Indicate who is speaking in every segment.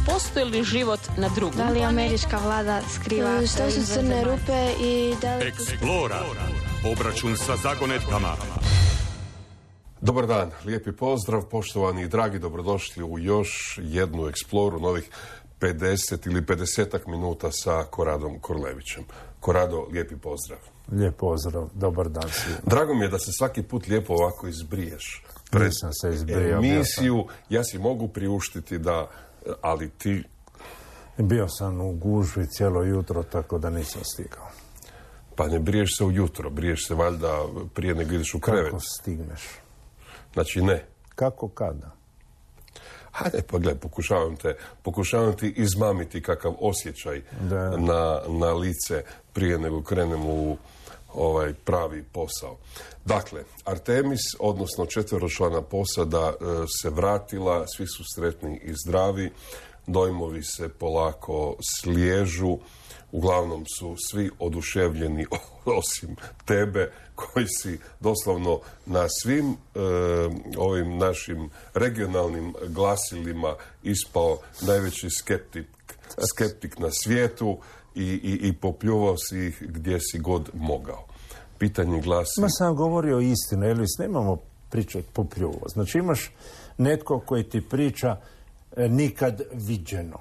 Speaker 1: postoji li život na drugom?
Speaker 2: Da li američka vlada skriva
Speaker 3: što su crne rupe i da li...
Speaker 4: Explora. Obračun sa zagonetkama.
Speaker 5: Dobar dan, lijepi pozdrav, poštovani i dragi, dobrodošli u još jednu Exploru, novih 50 ili 50-ak minuta sa Koradom Korlevićem. Korado, lijepi pozdrav.
Speaker 6: Lijep pozdrav, dobar dan svima.
Speaker 5: Drago mi je da se svaki put lijepo ovako izbriješ.
Speaker 6: Nisam se izbrijao.
Speaker 5: Emisiju, ja si mogu priuštiti da, ali ti...
Speaker 6: Bio sam u gužvi cijelo jutro, tako da nisam stigao.
Speaker 5: Pa ne briješ se ujutro, briješ se valjda prije nego ideš u krevet.
Speaker 6: Kako stigneš?
Speaker 5: Znači ne.
Speaker 6: Kako kada?
Speaker 5: Hajde, pa gledaj, pokušavam ti izmamiti kakav osjećaj na lice prije nego krenem u ovaj pravi posao. Dakle, Artemis, odnosno 4-člana posada se vratila, svi su sretni i zdravi, dojmovi se polako sliježu, uglavnom su svi oduševljeni osim tebe koji si doslovno na svim ovim našim regionalnim glasilima ispao najveći skeptik na svijetu i popljuvao si ih gdje si god mogao. Pitanje glasi...
Speaker 6: Ma sam govorio istinu, Elvis, nemamo pričati popljuvao. Znači imaš netko koji ti priča nikad viđeno.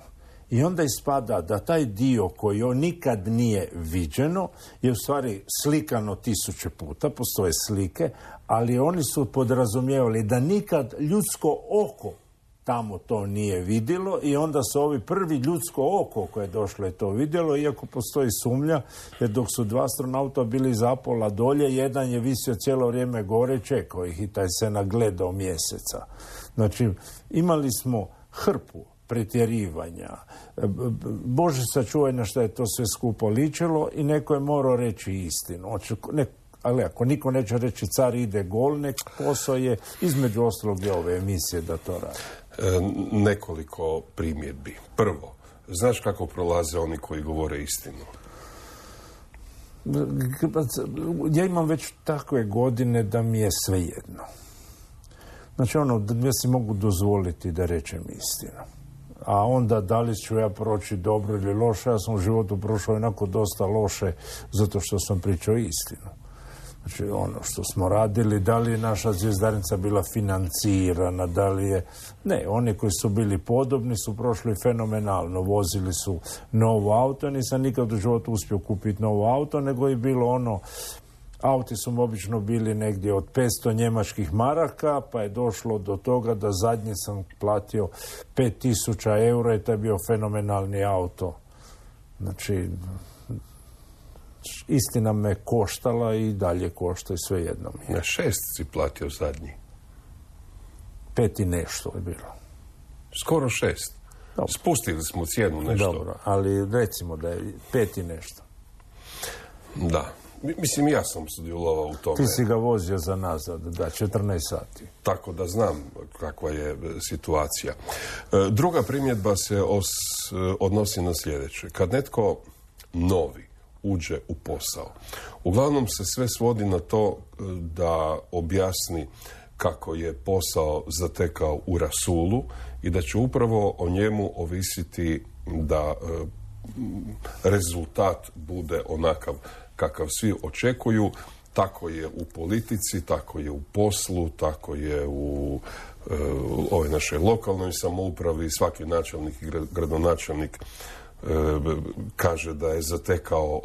Speaker 6: I onda ispada da taj dio koji on nikad nije viđeno je u stvari slikano 1000 puta, postoje slike, ali oni su podrazumijevali da nikad ljudsko oko tamo to nije vidjelo i onda su ovi prvi ljudsko oko koje je došlo je to vidjelo, iako postoji sumnja, jer dok su 2 astronauta bili zapola dolje, jedan je visio cijelo vrijeme gore, čekao ih i taj se nagledao mjeseca. Znači, imali smo hrpu pretjerivanja. Bože sačuvaj na što je to sve skupo ličilo i neko je morao reći istinu. Ali ako niko neće reći car ide gol, nek posao je između ostalog je ove emisije da to radi.
Speaker 5: Nekoliko primjedbi. Prvo, znaš kako prolaze oni koji govore istinu?
Speaker 6: Ja imam već takve godine da mi je svejedno. Znači da ja si mogu dozvoliti da rečem istinu. A onda da li ću ja proći dobro ili loše, ja sam u životu prošao onako dosta loše zato što sam pričao istinu. Znači ono što smo radili, da li je naša zvjezdarnica bila financirana, da li je... Ne, oni koji su bili podobni su prošli fenomenalno, vozili su novo auto, nisam nikad u životu uspio kupiti novo auto, nego je bilo ono... Auti su obično bili negdje od 500 njemačkih maraka, pa je došlo do toga da zadnji sam platio 5000 eura i to je bio fenomenalni auto. Znači, istina me koštala i dalje košta i sve jedno mi je.
Speaker 5: 6 si platio zadnji?
Speaker 6: 5 i nešto je bilo.
Speaker 5: Skoro 6. Dobro. Spustili smo cijenu nešto.
Speaker 6: Dobro, ali recimo da je 5 i nešto.
Speaker 5: Da. Mislim, ja sam sudjelovao u tome.
Speaker 6: Ti si ga vozio za nazad, 14 sati.
Speaker 5: Tako da znam kakva je situacija. Druga primjedba se odnosi na sljedeće. Kad netko novi uđe u posao, uglavnom se sve svodi na to da objasni kako je posao zatekao u rasulu i da će upravo o njemu ovisiti da rezultat bude onakav kakav svi očekuju. Tako je u politici, tako je u poslu, tako je u ovoj našoj lokalnoj samoupravi. Svaki načelnik i gradonačelnik kaže da je zatekao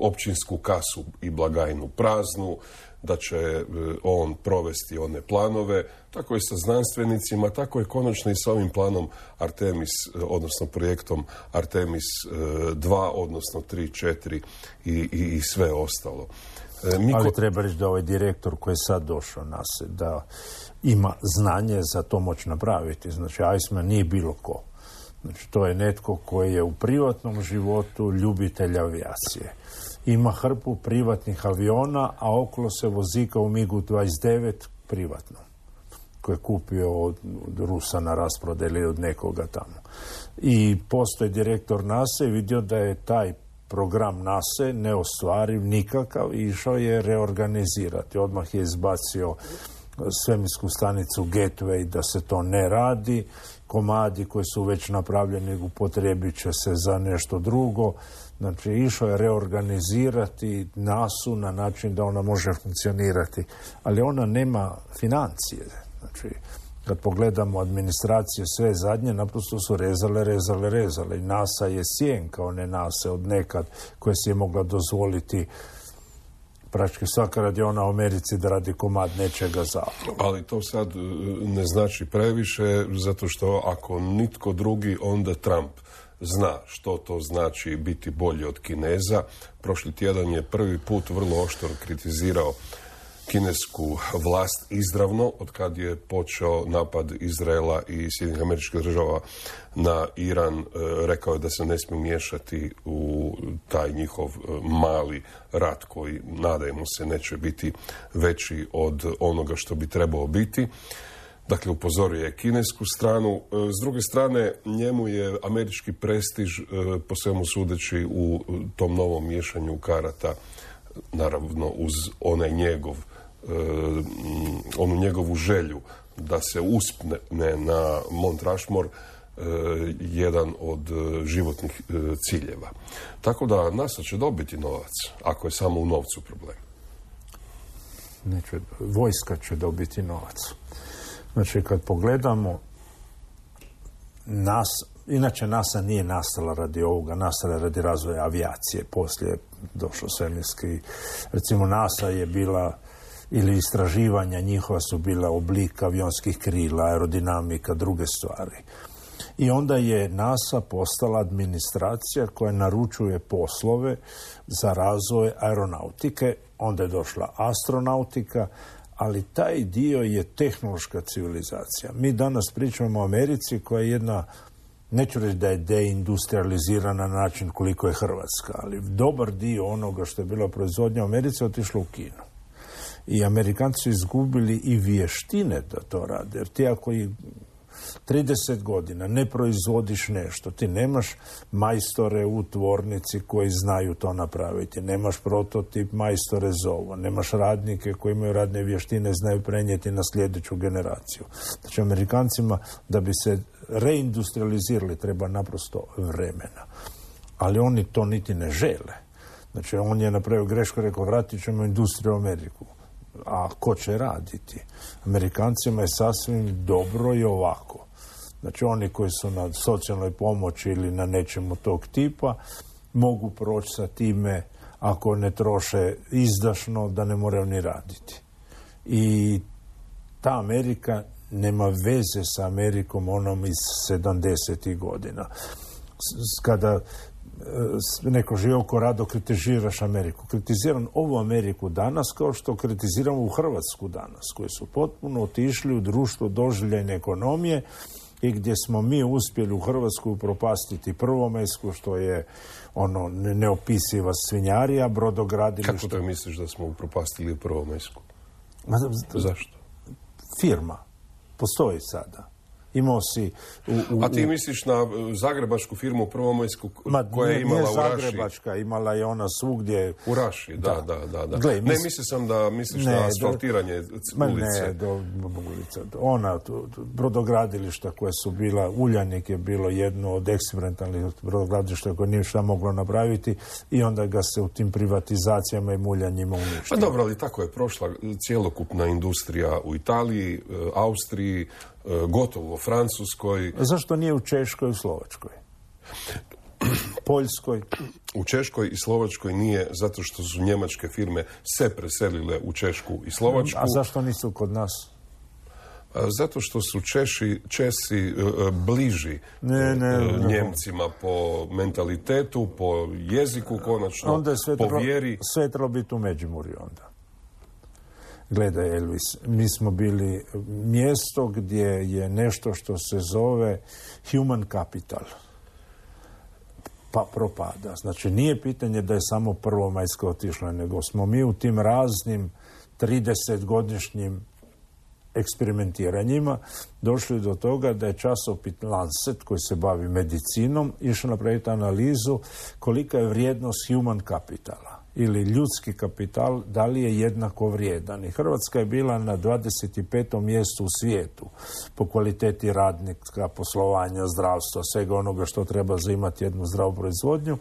Speaker 5: općinsku kasu i blagajnu praznu, da će on provesti one planove. Tako je sa znanstvenicima, tako je konačno i sa ovim planom Artemis, odnosno projektom Artemis 2, odnosno 3, 4 i sve ostalo.
Speaker 6: Ali treba reći da ovaj direktor koji je sad došao nas, da ima znanje za to moći napraviti. Znači, Iceman nije bilo ko. Znači, to je netko koji je u privatnom životu ljubitelj avijacije. Ima hrpu privatnih aviona, a okolo se vozika u MiG-29 privatno, koje je kupio od Rusa na rasprodaju ili od nekoga tamo. I postoji direktor NASA i vidio da je taj program NASA neostvariv nikakav i išao je reorganizirati. Odmah je izbacio svemirsku stanicu Gateway, da se to ne radi. Komadi koji su već napravljeni upotrijebit će se za nešto drugo. Znači, išao je reorganizirati NASA-u na način da ona može funkcionirati. Ali ona nema financije. Znači, kad pogledamo administracije sve zadnje, naprosto su rezale. I NASA je sjenka one NASA od nekad koje si je mogla dozvoliti praktički svaka radiona u Americi da radi komad nečega zapravo.
Speaker 5: Ali to sad ne znači previše, zato što ako nitko drugi, onda Trump zna što to znači biti bolji od Kineza. Prošli tjedan je prvi put vrlo oštro kritizirao kinesku vlast izravno, od kad je počeo napad Izraela i Sjedinjenih Američkih Država na Iran. Rekao je da se ne smije miješati u taj njihov mali rat koji, nadajmo se, neće biti veći od onoga što bi trebao biti. Dakle, upozorio je kinesku stranu. S druge strane, njemu je američki prestiž, po svemu sudeći, u tom novom miješanju karata, naravno uz onu njegovu želju da se uspne na Mount Rushmore, jedan od životnih ciljeva. Tako da NASA će dobiti novac, ako je samo u novcu problem.
Speaker 6: Vojska će dobiti novac. Znači, kad pogledamo inače NASA nije nastala radi ovoga, nastala radi razvoja avijacije. Poslije je došao svemirski. Recimo, NASA je bila, ili istraživanja njihova su bila oblik avionskih krila, aerodinamika, druge stvari. I onda je NASA postala administracija koja naručuje poslove za razvoj aeronautike. Onda je došla astronautika, ali taj dio je tehnološka civilizacija. Mi danas pričamo o Americi koja je jedna, neću reći da je deindustrializirana na način koliko je Hrvatska, ali dobar dio onoga što je bila proizvodnja u Americi otišlo u Kinu. I Amerikanci su izgubili i vještine da to rade. Jer ti ako i 30 godina ne proizvodiš nešto, ti nemaš majstore u tvornici koji znaju to napraviti, nemaš prototip majstore za ovo, nemaš radnike koji imaju radne vještine, znaju prenijeti na sljedeću generaciju. Znači, Amerikancima da bi se reindustrializirali treba naprosto vremena. Ali oni to niti ne žele. Znači, on je napravio grešku, rekao, vratit ćemo industriju u Ameriku. A ko će raditi? Amerikancima je sasvim dobro i ovako. Znači, oni koji su na socijalnoj pomoći ili na nečemu tog tipa mogu proći sa time, ako ne troše izdašno, da ne moraju ni raditi. I ta Amerika nema veze sa Amerikom onom iz 70. godina. Kada neko živio rado kritiziraš Ameriku. Kritiziram ovu Ameriku danas kao što kritiziramo u Hrvatsku danas, koji su potpuno otišli u društvo doživljajne ekonomije i gdje smo mi uspjeli u Hrvatsku upropastiti Prvomajsku, što je ono neopisiva svinjarija, brodogradilište.
Speaker 5: Kako to misliš da smo upropastili Prvomajsku? Zašto?
Speaker 6: Firma. Postoji sada. Imao si...
Speaker 5: A ti misliš na zagrebačku firmu Prvomajsku koja je imala u Raši?
Speaker 6: Nije zagrebačka, imala je ona svugdje...
Speaker 5: U Raši, da. Gle, ne, mislio da misliš na asfaltiranje ulice.
Speaker 6: Ona, brodogradilišta koje su bila, Uljanik je bilo jedno od eksperimentalnih brodogradilišta koje nije šta moglo napraviti i onda ga se u tim privatizacijama i muljanjima uništilo.
Speaker 5: Pa dobro, ali tako je prošla cjelokupna industrija u Italiji, Austriji, gotovo u Francuskoj.
Speaker 6: Zašto nije u Češkoj i u Slovačkoj? Poljskoj?
Speaker 5: U Češkoj i Slovačkoj nije, zato što su njemačke firme se preselile u Češku i Slovačku.
Speaker 6: A zašto nisu kod nas?
Speaker 5: Zato što su Česi bliži Njemcima po mentalitetu, po jeziku konačno,
Speaker 6: onda je
Speaker 5: po vjeri.
Speaker 6: Sve trebalo biti u Međimurju onda. Gledaj, Elvis, mi smo bili mjesto gdje je nešto što se zove human capital. Pa propada. Znači, nije pitanje da je samo Prvomajska otišla, nego smo mi u tim raznim 30-godišnjim eksperimentiranjima došli do toga da je časopis Lancet, koji se bavi medicinom, išao napraviti analizu kolika je vrijednost human capitala. ili ljudski kapital, da li je jednako vrijedan. I Hrvatska je bila na 25. mjestu u svijetu po kvaliteti radnika, poslovanja, zdravstva, svega onoga što treba za imati jednu zdravu proizvodnju.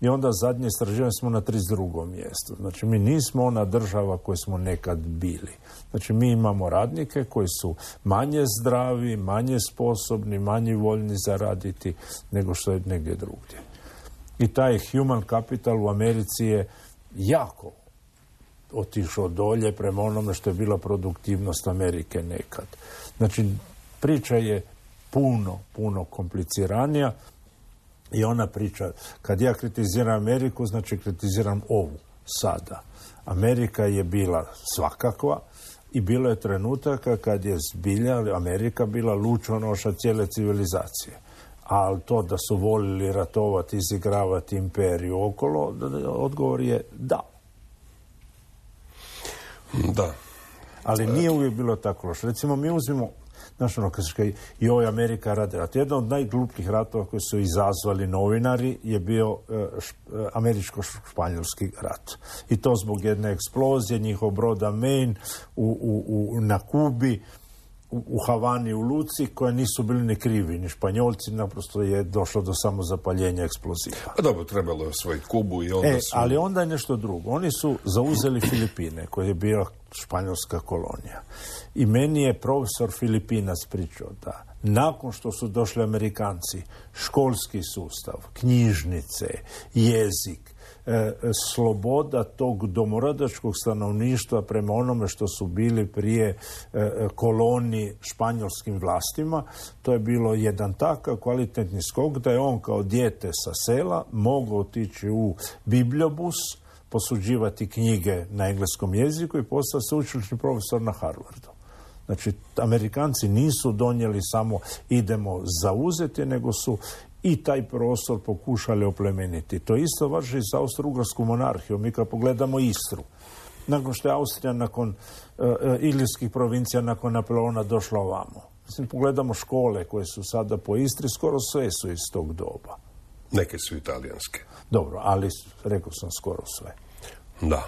Speaker 6: I onda zadnje istraživanje smo na 32. mjestu. Znači, mi nismo ona država koju smo nekad bili. Znači, mi imamo radnike koji su manje zdravi, manje sposobni, manje voljni zaraditi nego što je negdje drugdje. I taj human capital u Americi je jako otišao dolje prema onome što je bila produktivnost Amerike nekad. Znači, priča je puno kompliciranija. I ona priča, kad ja kritiziram Ameriku, znači kritiziram ovu sada. Amerika je bila svakakva i bilo je trenutaka kad je zbilja Amerika bila lučonoša cijele civilizacije. Ali to da su volili ratovati, izigravati imperiju okolo, odgovor je da.
Speaker 5: Da.
Speaker 6: Ali nije uvijek bilo tako loše. Recimo, mi uzmimo i ovo je Amerika radi rat. Jedan od najglupljih ratova koji su izazvali novinari je bio američko-španjolski rat. I to zbog jedne eksplozije njihov broda Maine na Kubi, u Havani, u Luci, koje nisu bili ni krivi, ni Španjolci, naprosto je došlo do samozapaljenja eksploziva.
Speaker 5: A dobro, trebalo je osvojiti Kubu i onda su...
Speaker 6: Ali onda je nešto drugo. Oni su zauzeli Filipine, koje je bila španjolska kolonija. I meni je profesor Filipinac pričao da nakon što su došli Amerikanci, školski sustav, knjižnice, jezik, sloboda tog domorodačkog stanovništva prema onome što su bili prije koloniji španjolskim vlastima, to je bilo jedan takav kvalitetni skok da je on kao dijete sa sela mogao otići u bibliobus, posuđivati knjige na engleskom jeziku i postati sveučilišni profesor na Harvardu. Znači, Amerikanci nisu donijeli samo idemo zauzeti, nego su i taj prostor pokušali oplemeniti. To isto važi za Austro-Ugarsku monarhiju. Mi kad pogledamo Istru, nakon što je Austrija nakon Ilirskih provincija, nakon Napoleona došla ovamo. Mislim, pogledamo škole koje su sada po Istri, skoro sve su iz tog doba.
Speaker 5: Neke su italijanske.
Speaker 6: Dobro, ali rekao sam skoro sve.
Speaker 5: Da,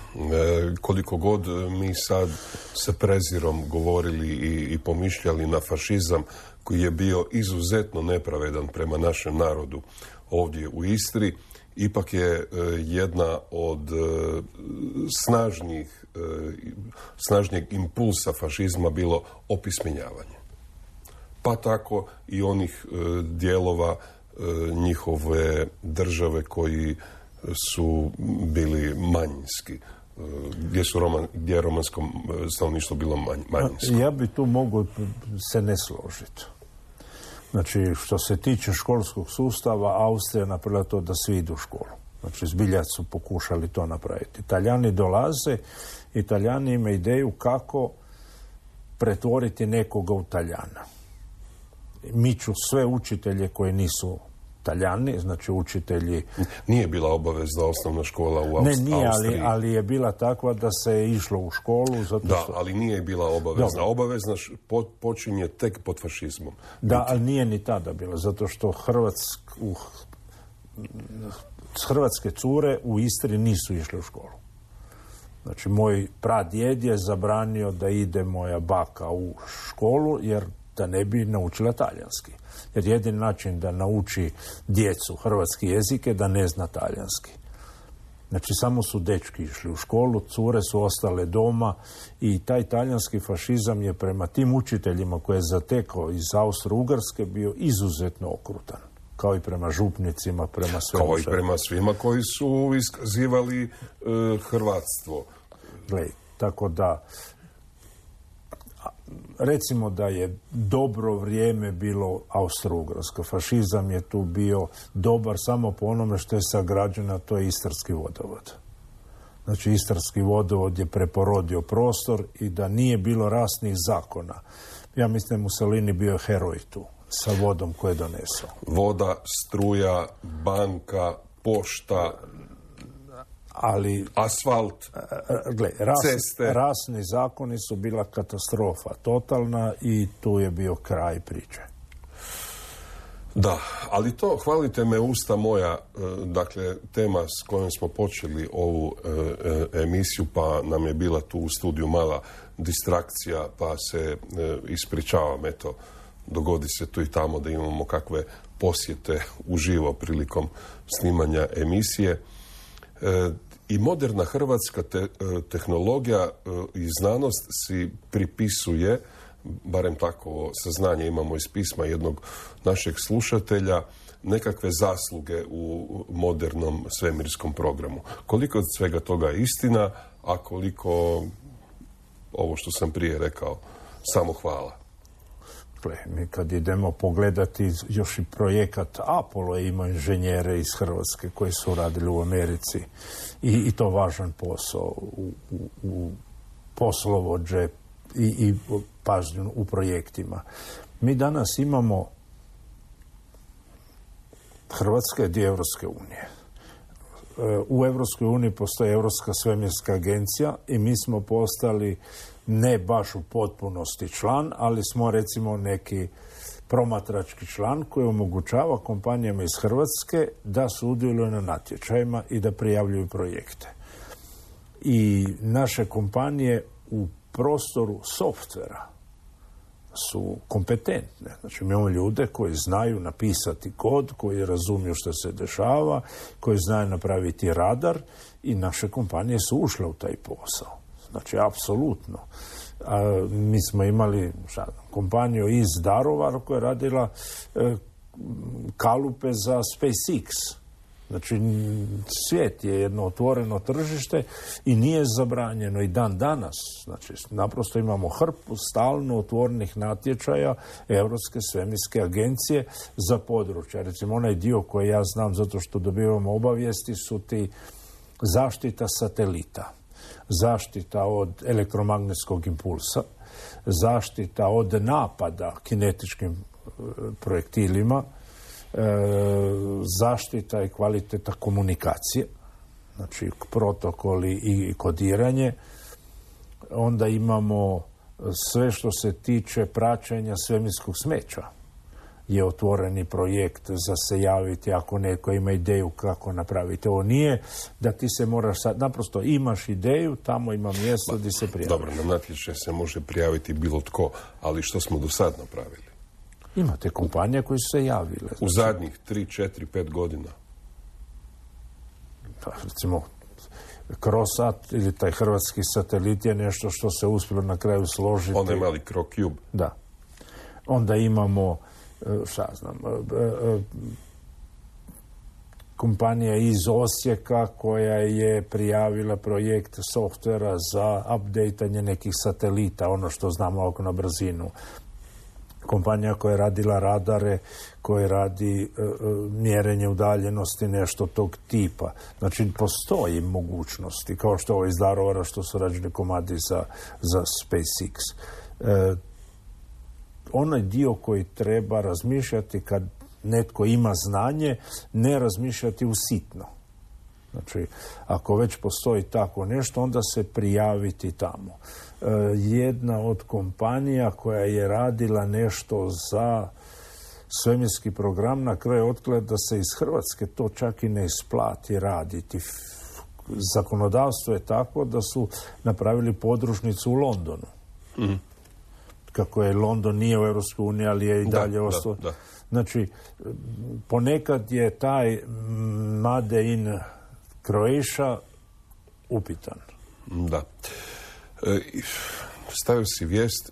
Speaker 5: koliko god mi sad sa prezirom govorili i pomišljali na fašizam koji je bio izuzetno nepravedan prema našem narodu ovdje u Istri, ipak je jedna od snažnijeg impulsa fašizma bilo opismenjavanje. Pa tako i onih dijelova njihove države koji su bili manjinski, gdje je romansko stanovništvo bilo manjinsko.
Speaker 6: Ja bi tu mogu se ne složiti. Znači, što se tiče školskog sustava, Austrija napravila to da svi idu u školu. Znači, zbilja su pokušali to napraviti. Italijani dolaze, Italijani imaju ideju kako pretvoriti nekoga u Talijana. Miču sve učitelje koji nisu Talijani, znači učitelji...
Speaker 5: Nije bila obavezna osnovna škola u Austriji.
Speaker 6: Ne, nije, ali je bila takva da se je išlo u školu. Zato
Speaker 5: da,
Speaker 6: što...
Speaker 5: ali nije bila obavezna. Dobro. Obavezna počinje tek pod fašizmom.
Speaker 6: Da, ali nije ni tada bila, zato što hrvatske cure u Istri nisu išle u školu. Znači, moj pradjed je zabranio da ide moja baka u školu, jer da ne bi naučila talijanski. Jer jedini način da nauči djecu hrvatski jezik je da ne zna talijanski. Znači, samo su dečki išli u školu, cure su ostale doma i taj talijanski fašizam je prema tim učiteljima koje je zatekao iz Austro-Ugarske bio izuzetno okrutan. Kao i prema župnicima, prema svemu.
Speaker 5: Kao i prema svima koji su iskazivali hrvatstvo.
Speaker 6: Glej, tako da... Recimo da je dobro vrijeme bilo Austro-Ugarsko. Fašizam je tu bio dobar samo po onome što je sagrađeno, to je Istarski vodovod. Znači, Istarski vodovod je preporodio prostor i da nije bilo rasnih zakona. Ja mislim da je Mussolini bio heroj tu sa vodom koje je donesao.
Speaker 5: Voda, struja, banka, pošta...
Speaker 6: Ali
Speaker 5: asfalt, ceste.
Speaker 6: Rasni zakoni su bila katastrofa totalna i tu je bio kraj priče.
Speaker 5: Da, ali to, hvalite me usta moja, dakle, tema s kojom smo počeli ovu emisiju, pa nam je bila tu u studiju mala distrakcija, pa se ispričavam, eto, dogodi se tu i tamo da imamo kakve posjete uživo prilikom snimanja emisije. I moderna hrvatska tehnologija i znanost si pripisuje, barem tako saznanje imamo iz pisma jednog našeg slušatelja, nekakve zasluge u modernom svemirskom programu. Koliko od svega toga je istina, a koliko, ovo što sam prije rekao, samo hvala?
Speaker 6: Mi kad idemo pogledati još i projekat Apollo, ima inženjere iz Hrvatske koji su radili u Americi i to važan posao u poslovođe i pažnju u projektima. Mi danas imamo Hrvatska je dio Europske unije. U Europskoj uniji postoji Europska svemirska agencija i mi smo postali ne baš u potpunosti član, ali smo recimo neki promatrački član koji omogućava kompanijama iz Hrvatske da sudjeluju na natječajima i da prijavljuju projekte. I naše kompanije u prostoru softvera su kompetentne. Znači, imamo ljude koji znaju napisati kod, koji razumiju što se dešava, koji znaju napraviti radar i naše kompanije su ušle u taj posao. Znači, apsolutno. Mi smo imali kompaniju iz Daruvara koja je radila kalupe za SpaceX. Znači, svijet je jedno otvoreno tržište i nije zabranjeno i dan danas. Znači, naprosto imamo hrpu stalno otvorenih natječaja Europske svemirske agencije za područja. Recimo, onaj dio koji ja znam zato što dobivamo obavijesti su ti zaštita satelita, zaštita od elektromagnetskog impulsa, zaštita od napada kinetičkim projektilima, zaštita i kvaliteta komunikacije, znači protokoli i kodiranje. Onda imamo sve što se tiče praćenja svemirskog smeća. Je otvoreni projekt za se javiti ako neko ima ideju kako napraviti. Ovo nije da ti se moraš sad, naprosto imaš ideju, tamo ima mjesto gdje se prijaviš.
Speaker 5: Dobro, na natječaj se može prijaviti bilo tko, ali što smo do sad napravili?
Speaker 6: Imate kompanije koje su se javile.
Speaker 5: U zadnjih 3, 4, 5 godina?
Speaker 6: Pa, recimo, Crosat ili taj hrvatski satelit je nešto što se uspjelo na kraju složiti.
Speaker 5: Onda imali CroCube.
Speaker 6: Da. Onda imamo, kompanija iz Osijeka koja je prijavila projekt softvera za updateanje nekih satelita, ono što znamo ovako na brzinu. Kompanija koja je radila radare, koja radi mjerenje udaljenosti, nešto tog tipa. Znači, postoji mogućnosti, kao što ovo iz Daruvara, što su rađeni komadi za SpaceX. Onaj dio koji treba razmišljati kad netko ima znanje, ne razmišljati usitno. Znači, ako već postoji tako nešto, onda se prijaviti tamo. Jedna od kompanija koja je radila nešto za svemirski program, na kraju otkrila da se iz Hrvatske to čak i ne isplati raditi. Zakonodavstvo je tako da su napravili podružnicu u Londonu. Mm. Kako je London nije u Europskoj uniji, ali je i dalje ostao. Znači, ponekad je taj Made in Croatia upitan.
Speaker 5: Da. Stavio si vijest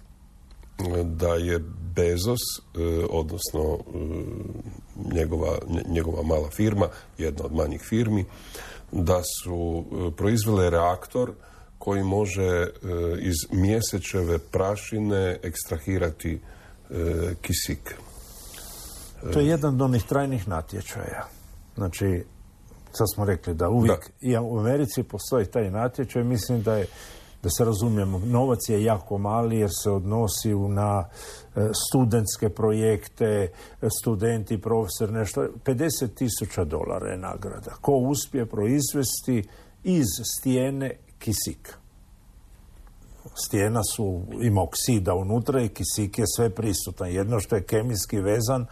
Speaker 5: da je Bezos, odnosno njegova mala firma, jedna od manjih firmi, da su proizvele reaktor koji može iz mjesečeve prašine ekstrahirati kisik.
Speaker 6: To je jedan od onih trajnih natječaja. Znači, sad smo rekli da uvijek i u Americi postoji taj natječaj. Mislim da se razumijemo, novac je jako mali jer se odnosi na studentske projekte, studenti, profesor, nešto. $50,000 je nagrada. Ko uspije proizvesti iz stijene kisik. Stijena ima oksida unutra i kisik je sve prisutan. Jedno što je kemijski vezan,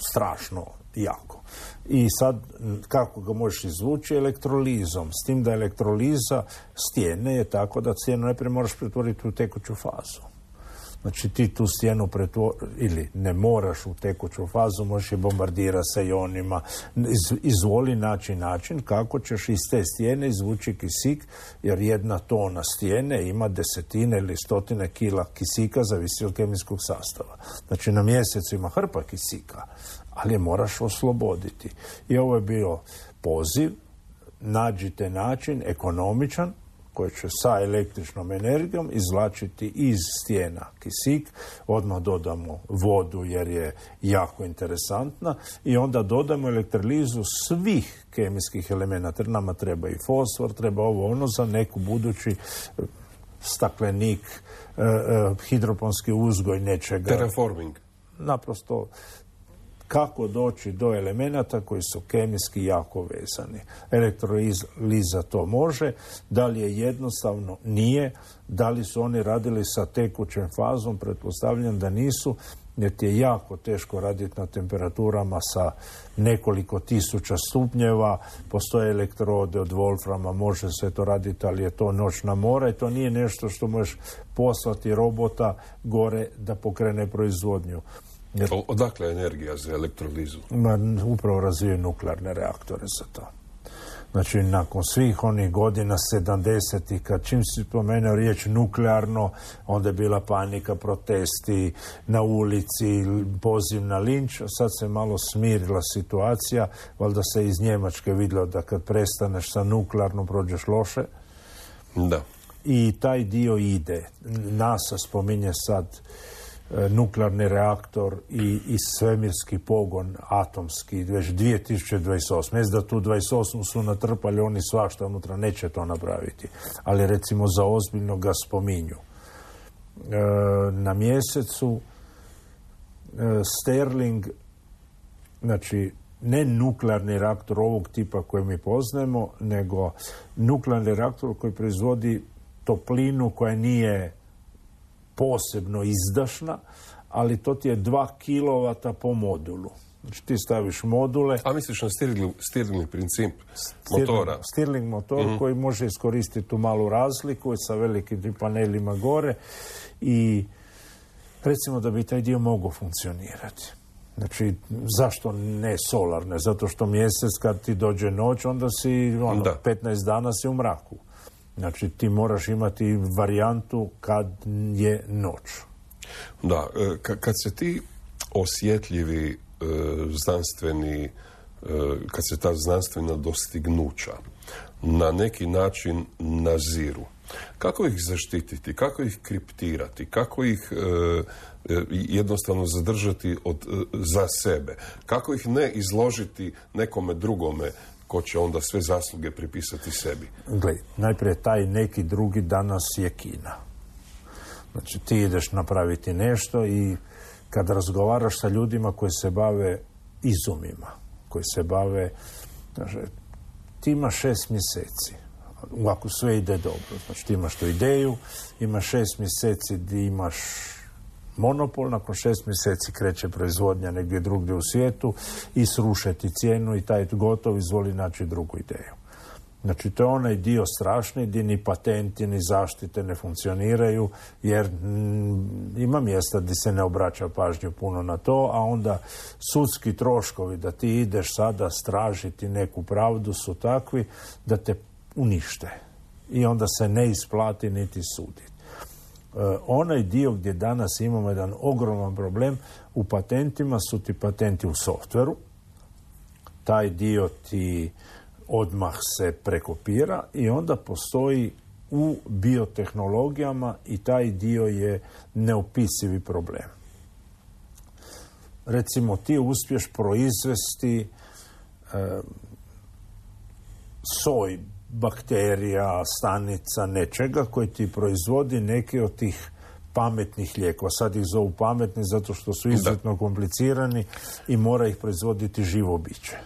Speaker 6: strašno jako. I sad, kako ga možeš izvući? Elektrolizom. S tim da elektroliza stijene je tako da stijenu najprije moraš pretvoriti u tekuću fazu. Znači ti tu stijenu ili ne moraš u tekuću fazu, možeš je bombardirati sa ionima. Izvoli način kako ćeš iz te stijene izvući kisik, jer 1 tona stijene ima 10 ili 100 kila kisika, zavisi od kemijskog sastava. Znači na mjesecu ima hrpa kisika, ali je moraš osloboditi. I ovo je bio poziv, nađite način ekonomičan koji će sa električnom energijom izvlačiti iz stijena kisik, odmah dodamo vodu jer je jako interesantna i onda dodamo elektrolizu svih kemijskih elemenata. Nama treba i fosfor, treba ono za neku budući staklenik, hidroponski uzgoj nečega.
Speaker 5: Terraforming.
Speaker 6: Naprosto kako doći do elemenata koji su kemijski jako vezani. Elektroliza to može, da li je jednostavno? Nije. Da li su oni radili sa tekućem fazom? Pretpostavljam da nisu, jer ti je jako teško raditi na temperaturama sa nekoliko tisuća stupnjeva. Postoje elektrode od wolframa, može se to raditi, ali je to noćna mora i to nije nešto što možeš poslati robota gore da pokrene proizvodnju.
Speaker 5: Odakle je energija za elektrolizu?
Speaker 6: Upravo razvijaju nuklearne reaktore za to. Znači, nakon svih onih godina 70-ih, kad čim si spomenuo riječ nuklearno, onda je bila panika, protesti na ulici, poziv na linč, a sad se malo smirila situacija, valjda se iz Njemačke vidjelo da kad prestaneš sa nuklearno prođeš loše.
Speaker 5: Da.
Speaker 6: I taj dio ide. NASA spominje sad nuklearni reaktor i svemirski pogon atomski već 2028. Mislim da tu 28 su natrpali oni svašta unutra, neće to napraviti. Ali recimo za ozbiljno ga spominju. Na mjesecu Stirling, znači ne nuklearni reaktor ovog tipa koji mi poznajemo, nego nuklearni reaktor koji proizvodi toplinu koja nije posebno izdašna, ali to ti je 2 kW po modulu. Znači ti staviš module...
Speaker 5: A misliš na Stirling princip motora?
Speaker 6: Stirling motor koji može iskoristiti tu malu razliku sa velikim panelima gore i recimo da bi taj dio mogao funkcionirati. Znači, zašto ne solarne? Zato što mjesec kad ti dođe noć, onda si 15 dana si u mraku. Znači, ti moraš imati varijantu kad je noć.
Speaker 5: Da, kad se ti osjetljivi znanstveni, kad se ta znanstvena dostignuća na neki način naziru, kako ih zaštititi, kako ih kriptirati, kako ih jednostavno zadržati za sebe, kako ih ne izložiti nekome drugome ko će onda sve zasluge pripisati sebi?
Speaker 6: Gledaj, najprije taj neki drugi danas je Kina. Znači ti ideš napraviti nešto i kad razgovaraš sa ljudima koji se bave izumima, koji se bave, znači, ti imaš 6 mjeseci. Ovako sve ide dobro. Znači ti imaš tu ideju, imaš 6 mjeseci gdje imaš monopol, nakon 6 mjeseci kreće proizvodnja negdje drugdje u svijetu i srušeti cijenu i taj gotov, izvoli naći drugu ideju. Znači to je onaj dio strašni gdje ni patenti ni zaštite ne funkcioniraju jer ima mjesta gdje se ne obraća pažnju puno na to, a onda sudski troškovi da ti ideš sada stražiti neku pravdu su takvi da te unište i onda se ne isplati niti suditi. Onaj dio gdje danas imamo jedan ogroman problem u patentima su ti patenti u softveru. Taj dio ti odmah se prekopira i onda postoji u biotehnologijama i taj dio je neopisivi problem. Recimo ti uspješ proizvesti soj bakterija, stanica, nečega koji ti proizvodi neke od tih pametnih lijekova. Sad ih zovu pametni zato što su izuzetno komplicirani i mora ih proizvoditi živo biće.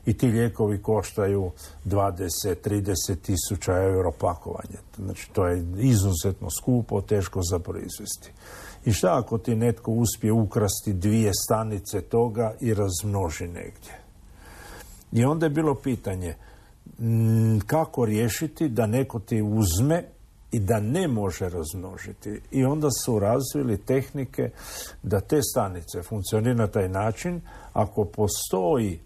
Speaker 6: I ti lijekovi koštaju 20-30 tisuća euro pakovanje. Znači to je izuzetno skupo, teško za proizvesti. I šta ako ti netko uspije ukrasti 2 stanice toga i razmnoži negdje? I onda je bilo pitanje kako riješiti da neko ti uzme i da ne može razmnožiti. I onda su razvili tehnike da te stanice funkcioniraju na taj način ako postoji,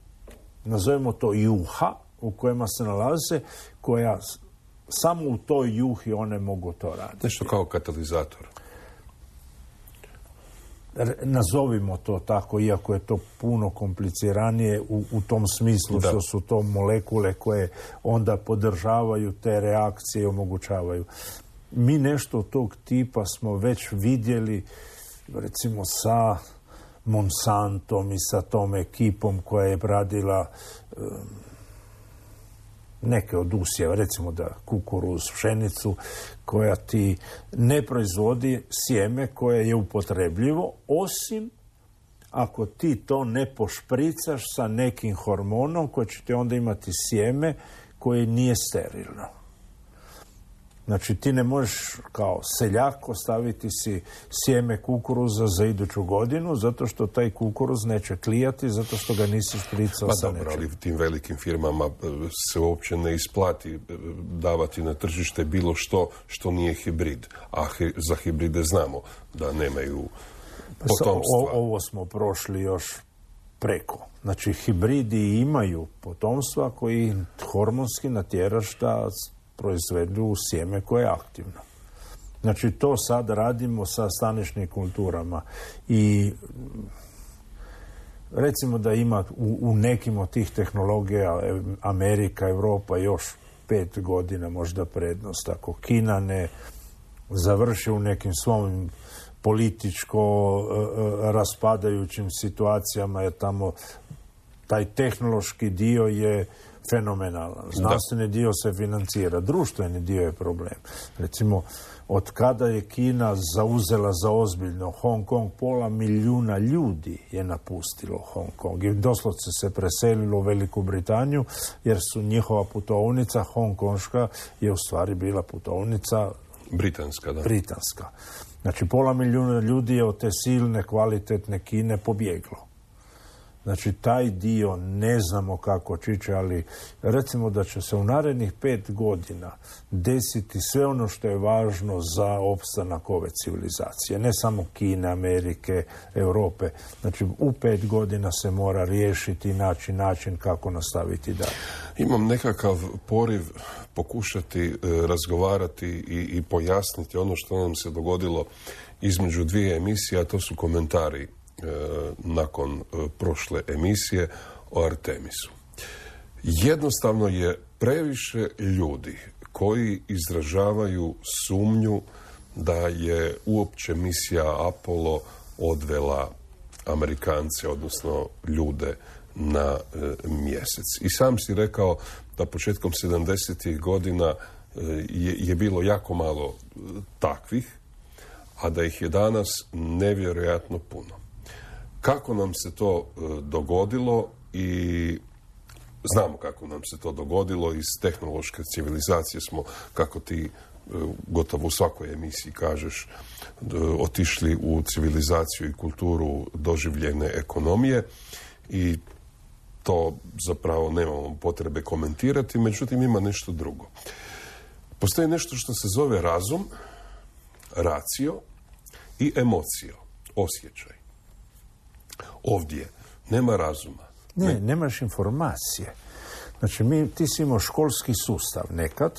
Speaker 6: nazovemo to juha, u kojima se nalaze, koja samo u toj juhi one mogu to raditi.
Speaker 5: Nešto kao katalizator.
Speaker 6: Nazovimo to tako, iako je to puno kompliciranije u tom smislu što su to molekule koje onda podržavaju te reakcije i omogućavaju. Mi nešto tog tipa smo već vidjeli, recimo sa Monsantom i sa tom ekipom koja je radila neke od usjeva, recimo da kukuruz, pšenicu, koja ti ne proizvodi sjeme koje je upotrebljivo, osim ako ti to ne pošpricaš sa nekim hormonom koji će ti onda imati sjeme koje nije sterilno. Znači ti ne možeš kao seljak ostaviti si sjeme kukuruza za iduću godinu zato što taj kukuruz neće klijati, zato što ga nisi špricao sa nečim.
Speaker 5: Ali tim velikim firmama se uopće ne isplati davati na tržište bilo što nije hibrid. A za hibride znamo da nemaju potomstva.
Speaker 6: Ovo smo prošli još preko. Znači hibridi imaju potomstva koji hormonski natjeraš da proizvedu sjeme koje je aktivno. Znači to sad radimo sa staničnim kulturama i recimo da ima u nekim od tih tehnologija Amerika, Europa još 5 godina možda prednost. Ako Kina ne završi u nekim svojim političko raspadajućim situacijama, jer tamo taj tehnološki dio je fenomenalan. Znanstveni dio se financira, društveni dio je problem. Recimo, od kada je Kina zauzela za ozbiljno Hong Kong, 500 milijuna ljudi je napustilo Hong Kong i doslovce se preselilo u Veliku Britaniju, jer su njihova putovnica hongkonška je u stvari bila putovnica britanska. Znači, 500 milijuna ljudi je od te silne, kvalitetne Kine pobjeglo. Znači, taj dio ne znamo kako čiće, ali recimo da će se u narednih 5 godina desiti sve ono što je važno za opstanak ove civilizacije. Ne samo Kine, Amerike, Europe. Znači, u 5 godina se mora riješiti i naći način kako nastaviti dalje.
Speaker 5: Imam nekakav poriv pokušati razgovarati i pojasniti ono što nam se dogodilo između 2 emisije, a to su komentari nakon prošle emisije o Artemisu. Jednostavno je previše ljudi koji izražavaju sumnju da je uopće misija Apollo odvela Amerikance, odnosno ljude na mjesec. I sam si rekao da početkom 70. godina je bilo jako malo takvih, a da ih je danas nevjerojatno puno. Kako nam se to dogodilo i znamo kako nam se to dogodilo, iz tehnološke civilizacije smo, kako ti gotovo u svakoj emisiji kažeš, otišli u civilizaciju i kulturu doživljene ekonomije i to zapravo nemamo potrebe komentirati, međutim ima nešto drugo. Postoji nešto što se zove razum, racio i emocio, osjećaj. Ovdje nema razuma.
Speaker 6: Nemaš informacije. Znači, ti si imao školski sustav nekad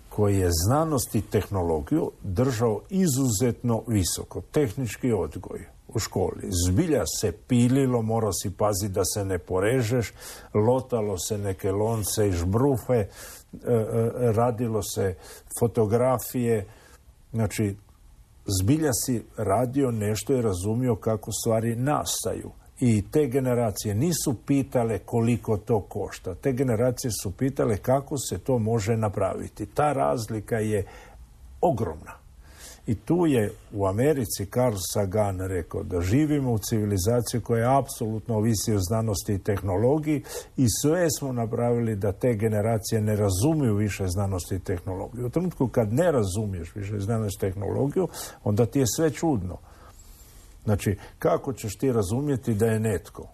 Speaker 6: koji je znanost i tehnologiju držao izuzetno visoko. Tehnički odgoj u školi. Zbilja se pililo, morao si paziti da se ne porežeš, lotalo se neke lonce i žbrufe, radilo se fotografije. Znači, zbilja si radio nešto i razumio kako stvari nastaju. I te generacije nisu pitale koliko to košta. Te generacije su pitale kako se to može napraviti. Ta razlika je ogromna. I tu je u Americi Carl Sagan rekao da živimo u civilizaciji koja apsolutno ovisi o znanosti i tehnologiji i sve smo napravili da te generacije ne razumiju više znanosti i tehnologiju. U trenutku kad ne razumiješ više znanosti i tehnologiju, onda ti je sve čudno. Znači, kako ćeš ti razumjeti da je netko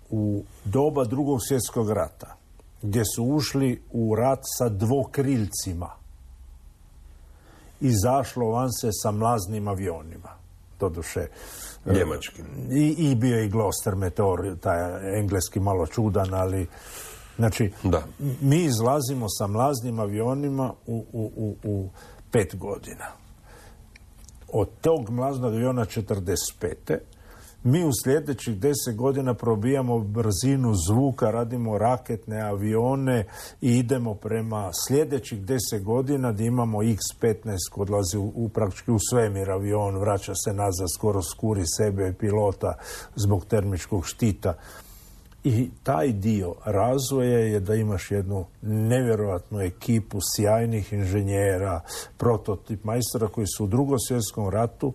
Speaker 6: u doba Drugog svjetskog rata, gdje su ušli u rat sa dvokrilcima, izašlo van se sa mlaznim avionima, doduše
Speaker 5: njemačkim.
Speaker 6: I bio je i Gloster Meteor, taj engleski malo čudan, ali znači, mi izlazimo sa mlaznim avionima u 5 godina. Od tog mlaznog aviona 45. mi u sljedećih 10 godina probijamo brzinu zvuka, radimo raketne avione i idemo prema sljedećih 10 godina gdje imamo X-15 koji odlazi praktički u svemir avion, vraća se nazad, skoro skuri sebe i pilota zbog termičkog štita. I taj dio razvoja je da imaš jednu nevjerojatnu ekipu sjajnih inženjera, prototip majstora koji su u Drugom svjetskom ratu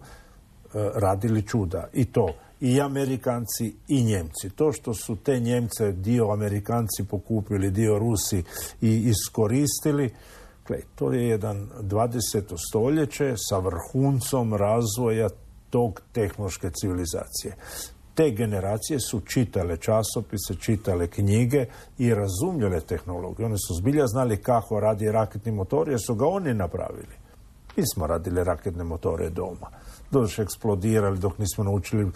Speaker 6: radili čuda. I to i Amerikanci i Njemci. To što su te Njemce dio Amerikanci pokupili, dio Rusi i iskoristili, to je jedan 20. stoljeće sa vrhuncom razvoja tog tehnološke civilizacije. Te generacije su čitale časopise, čitale knjige i razumjele tehnologiju. Oni su zbilja znali kako radi raketni motor, jer su ga oni napravili. Mi smo radili raketne motore doma. Doduše eksplodirali dok nismo naučili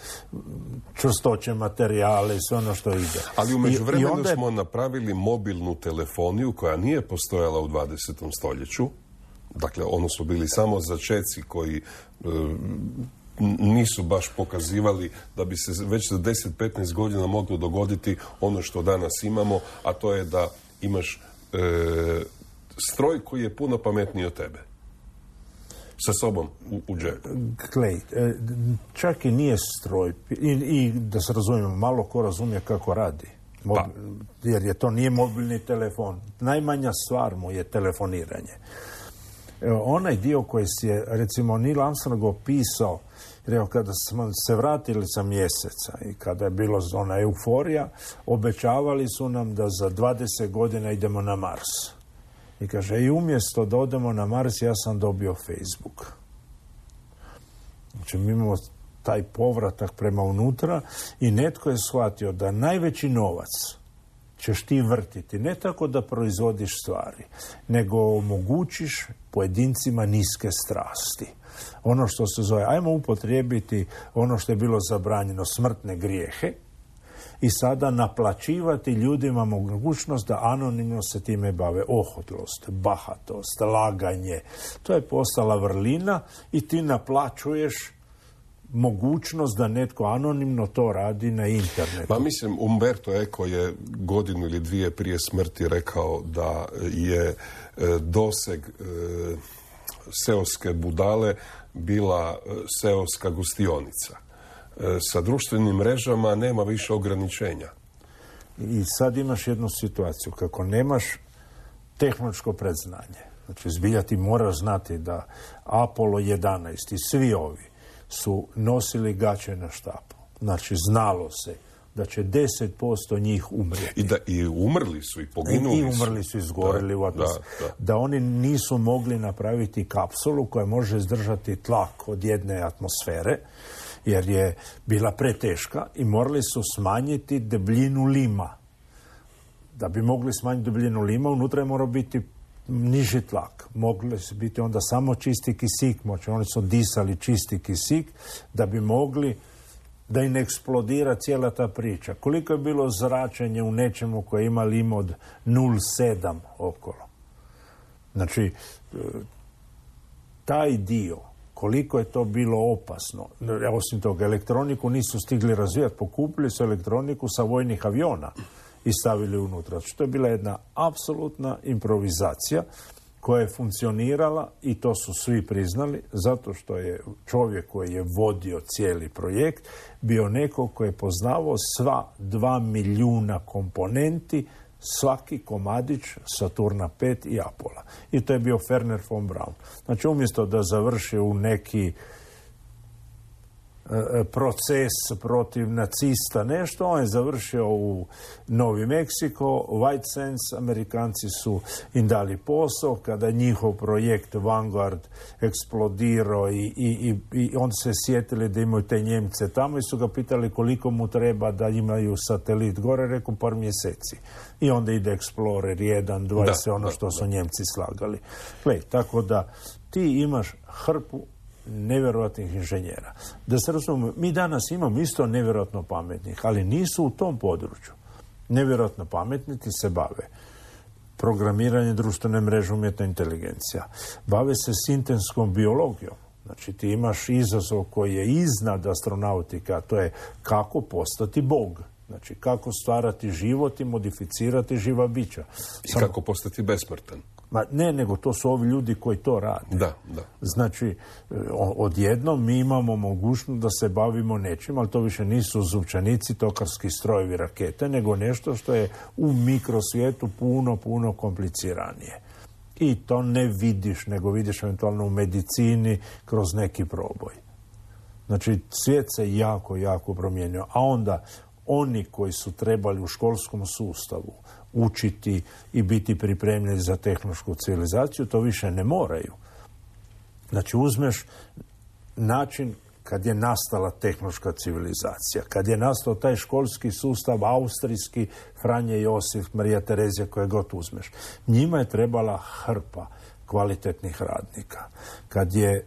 Speaker 6: čvrstoće materijale i sve ono što ide.
Speaker 5: Ali u međuvremenu smo napravili mobilnu telefoniju koja nije postojala u 20. stoljeću. Dakle, ono su bili samo začeci koji nisu baš pokazivali da bi se već za 10-15 godina moglo dogoditi ono što danas imamo, a to je da imaš stroj koji je puno pametniji od tebe. Sa sobom u džepu.
Speaker 6: Glej, čak i nije stroj. I da se razumijemo, malo ko razumije kako radi. Jer to nije mobilni telefon. Najmanja stvar mu je telefoniranje. Onaj dio koji si je, recimo, Neil Armstrong opisao, jer kada smo se vratili sa mjeseca i kada je bilo ona euforija, obećavali su nam da za 20 godina idemo na Mars. I kaže, i umjesto da odemo na Mars, ja sam dobio Facebook. Znači, mi imamo taj povratak prema unutra i netko je shvatio da najveći novac ćeš ti vrtiti, ne tako da proizvodiš stvari, nego omogućiš pojedincima niske strasti. Ono što se zove, ajmo upotrijebiti ono što je bilo zabranjeno, smrtne grijehe, i sada naplaćivati ljudima mogućnost da anonimno se time bave. Ohotlost, bahatost, laganje. To je postala vrlina i ti naplaćuješ mogućnost da netko anonimno to radi na internetu.
Speaker 5: Pa mislim, Umberto Eco je godinu ili dvije prije smrti rekao da je doseg seoske budale bila seoska gostionica. Sa društvenim mrežama nema više ograničenja.
Speaker 6: I sad imaš jednu situaciju, kako nemaš tehnološko predznanje. Znači, zbilja ti moraš znati da Apollo 11 i svi ovi su nosili gaće na štapu. Znači, znalo se da će 10% njih umrijeti.
Speaker 5: I umrli su i poginuli su.
Speaker 6: I umrli su, izgorili u atmosferu. Da oni nisu mogli napraviti kapsulu koja može izdržati tlak od jedne atmosfere, jer je bila preteška i morali su smanjiti debljinu lima. Da bi mogli smanjiti debljinu lima, unutra je morao biti niži tlak. Mogli su biti onda samo čisti kisik, oni su disali čisti kisik da bi mogli da im eksplodira cijela ta priča. Koliko je bilo zračenje u nečemu koje ima lim od 0,7 okolo. Znači, taj dio, koliko je to bilo opasno. Osim toga, elektroniku nisu stigli razvijati. Pokupili su elektroniku sa vojnih aviona i stavili unutra. To je bila jedna apsolutna improvizacija koja je funkcionirala i to su svi priznali, zato što je čovjek koji je vodio cijeli projekt bio neko koji je poznavao sva 2 milijuna komponenti, svaki komadić Saturna 5 i Apola. I to je bio Wernher von Braun. Znači, umjesto da završi u neki proces protiv nacista, nešto, on je završio u Novi Meksiko, White Sands, Amerikanci su im dali posao, kada je njihov projekt Vanguard eksplodirao i on se sjetili da imaju te Njemce tamo i su ga pitali koliko mu treba da imaju satelit gore, rekao par mjeseci. I onda ide Explorer 1, 2 i sve ono što su Njemci slagali. Gle, tako da ti imaš hrpu nevjerojatnih inženjera. Da se razumemo, mi danas imamo isto nevjerojatno pametnih, ali nisu u tom području. Nevjerojatno pametni ti se bave programiranje, društvene mreže, umjetna inteligencija. Bave se sintetskom biologijom. Znači ti imaš izazov koji je iznad astronautika, a to je kako postati Bog. Znači kako stvarati život i modificirati živa bića.
Speaker 5: I kako postati besmrtan.
Speaker 6: Ma ne, nego to su ovi ljudi koji to rade.
Speaker 5: Da.
Speaker 6: Znači, odjednom mi imamo mogućnost da se bavimo nečim, ali to više nisu zupčanici, tokarski strojevi, rakete, nego nešto što je u mikrosvijetu puno kompliciranije. I to ne vidiš, nego vidiš eventualno u medicini kroz neki proboj. Znači, svijet se jako promijenio. A onda, oni koji su trebali u školskom sustavu učiti i biti pripremljeni za tehnološku civilizaciju, to više ne moraju. Znači, uzmeš način kad je nastala tehnološka civilizacija, kad je nastao taj školski sustav austrijski, Franje Josif, Marija Terezija, koje god uzmeš. Njima je trebala hrpa kvalitetnih radnika. Kad je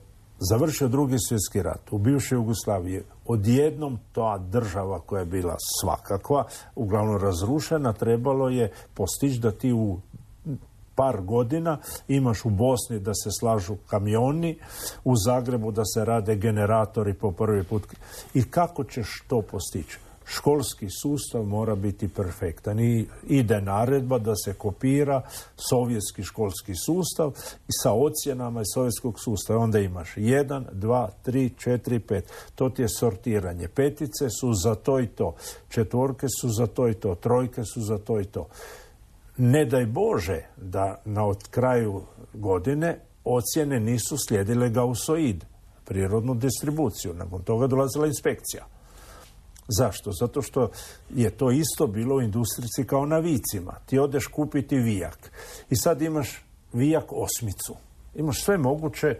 Speaker 6: završio Drugi svjetski rat u bivšoj Jugoslaviji, odjednom ta država koja je bila svakakva, uglavnom razrušena, trebalo je postići da ti u par godina imaš u Bosni da se slažu kamioni, u Zagrebu da se rade generatori po prvi put. I kako ćeš to postići? Školski sustav mora biti perfektan i ide naredba da se kopira sovjetski školski sustav i sa ocjenama iz sovjetskog sustava. Onda imaš 1, 2, 3, 4, 5. To ti je sortiranje. Petice su za to i to. Četvorke su za to i to. Trojke su za to i to. Ne daj Bože da na kraju godine ocjene nisu slijedile gausoid, prirodnu distribuciju. Nakon toga dolazila inspekcija. Zašto? Zato što je to isto bilo u industrici kao na vicima. Ti odeš kupiti vijak i sad imaš vijak osmicu. Imaš sve moguće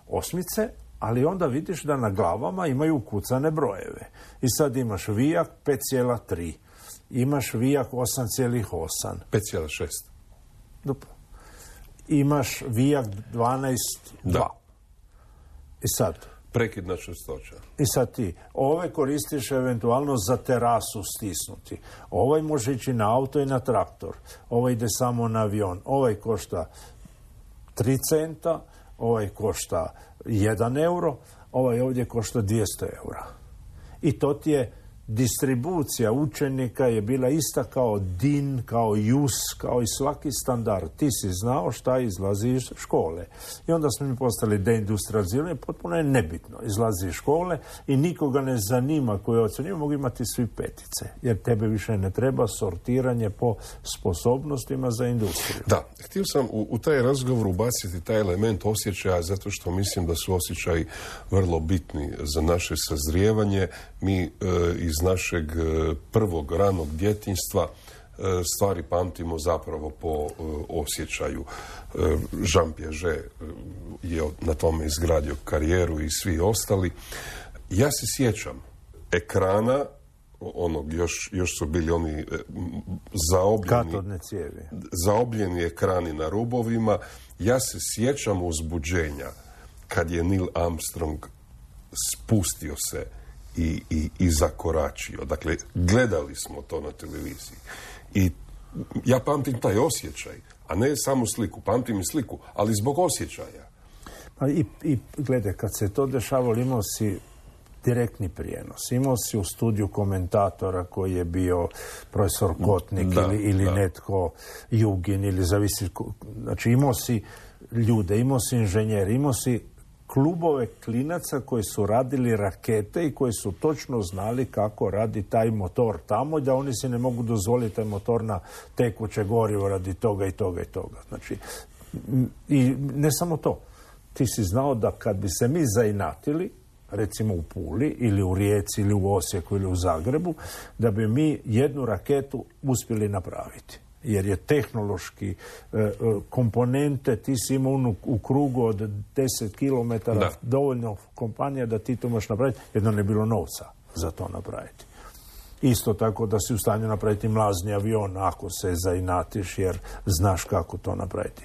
Speaker 6: osmice, ali onda vidiš da na glavama imaju ukucane brojeve. I sad imaš vijak 5,3. Imaš vijak 8,8.
Speaker 5: 5,6.
Speaker 6: Dobro. Imaš vijak 12,2. I sad...
Speaker 5: Prekidna čestoća.
Speaker 6: I sad ti, ove koristiš eventualno za terasu stisnuti. Ovaj može ići na auto i na traktor. Ovaj ide samo na avion. Ovaj košta 3 centa, ovaj košta 1 euro, ovaj ovdje košta 200 eura. I to ti je distribucija učenika je bila ista kao DIN, kao JUS, kao i svaki standard. Ti si znao šta izlazi iz škole. I onda smo mi postali deindustrializirani, potpuno je nebitno. Izlazi iz škole i nikoga ne zanima koji ocjenjuju, mogu imati svi petice. Jer tebe više ne treba sortiranje po sposobnostima za industriju.
Speaker 5: Da, htio sam u taj razgovor ubaciti taj element osjećaja, zato što mislim da su osjećaji vrlo bitni za naše sazrijevanje. Mi iz našeg prvog ranog djetinjstva stvari pamtimo zapravo po osjećaju. Jean Piaget je na tome izgradio karijeru i svi ostali. Ja se sjećam ekrana, onog još su bili oni zaobljeni ekrani na rubovima. Ja se sjećam uzbuđenja kad je Neil Armstrong spustio se i zakoračio. Dakle, gledali smo to na televiziji. I ja pamtim taj osjećaj, a ne samo sliku. Pamtim i sliku, ali zbog osjećaja.
Speaker 6: I gledaj, kad se to dešavalo, imao si direktni prijenos. Imao si u studiju komentatora koji je bio profesor Kotnik ili netko Jugin, ili zavisi. Znači, imao si ljude, imao si inženjeri, imao si klubove klinaca koji su radili rakete i koji su točno znali kako radi taj motor tamo, da oni se ne mogu dozvoliti taj motor na tekuće gorivo radi toga i toga i toga. Znači, i ne samo to. Ti si znao da kad bi se mi zainatili recimo u Puli ili u Rijeci ili u Osijeku ili u Zagrebu, da bi mi jednu raketu uspjeli napraviti. Jer je tehnološki komponente, ti si imao u krugu od 10 km dovoljno kompanija da ti to možeš napraviti, jedno ne bilo novca za to napraviti. Isto tako da si u stanju napraviti mlazni avion ako se zainatiš jer znaš kako to napraviti.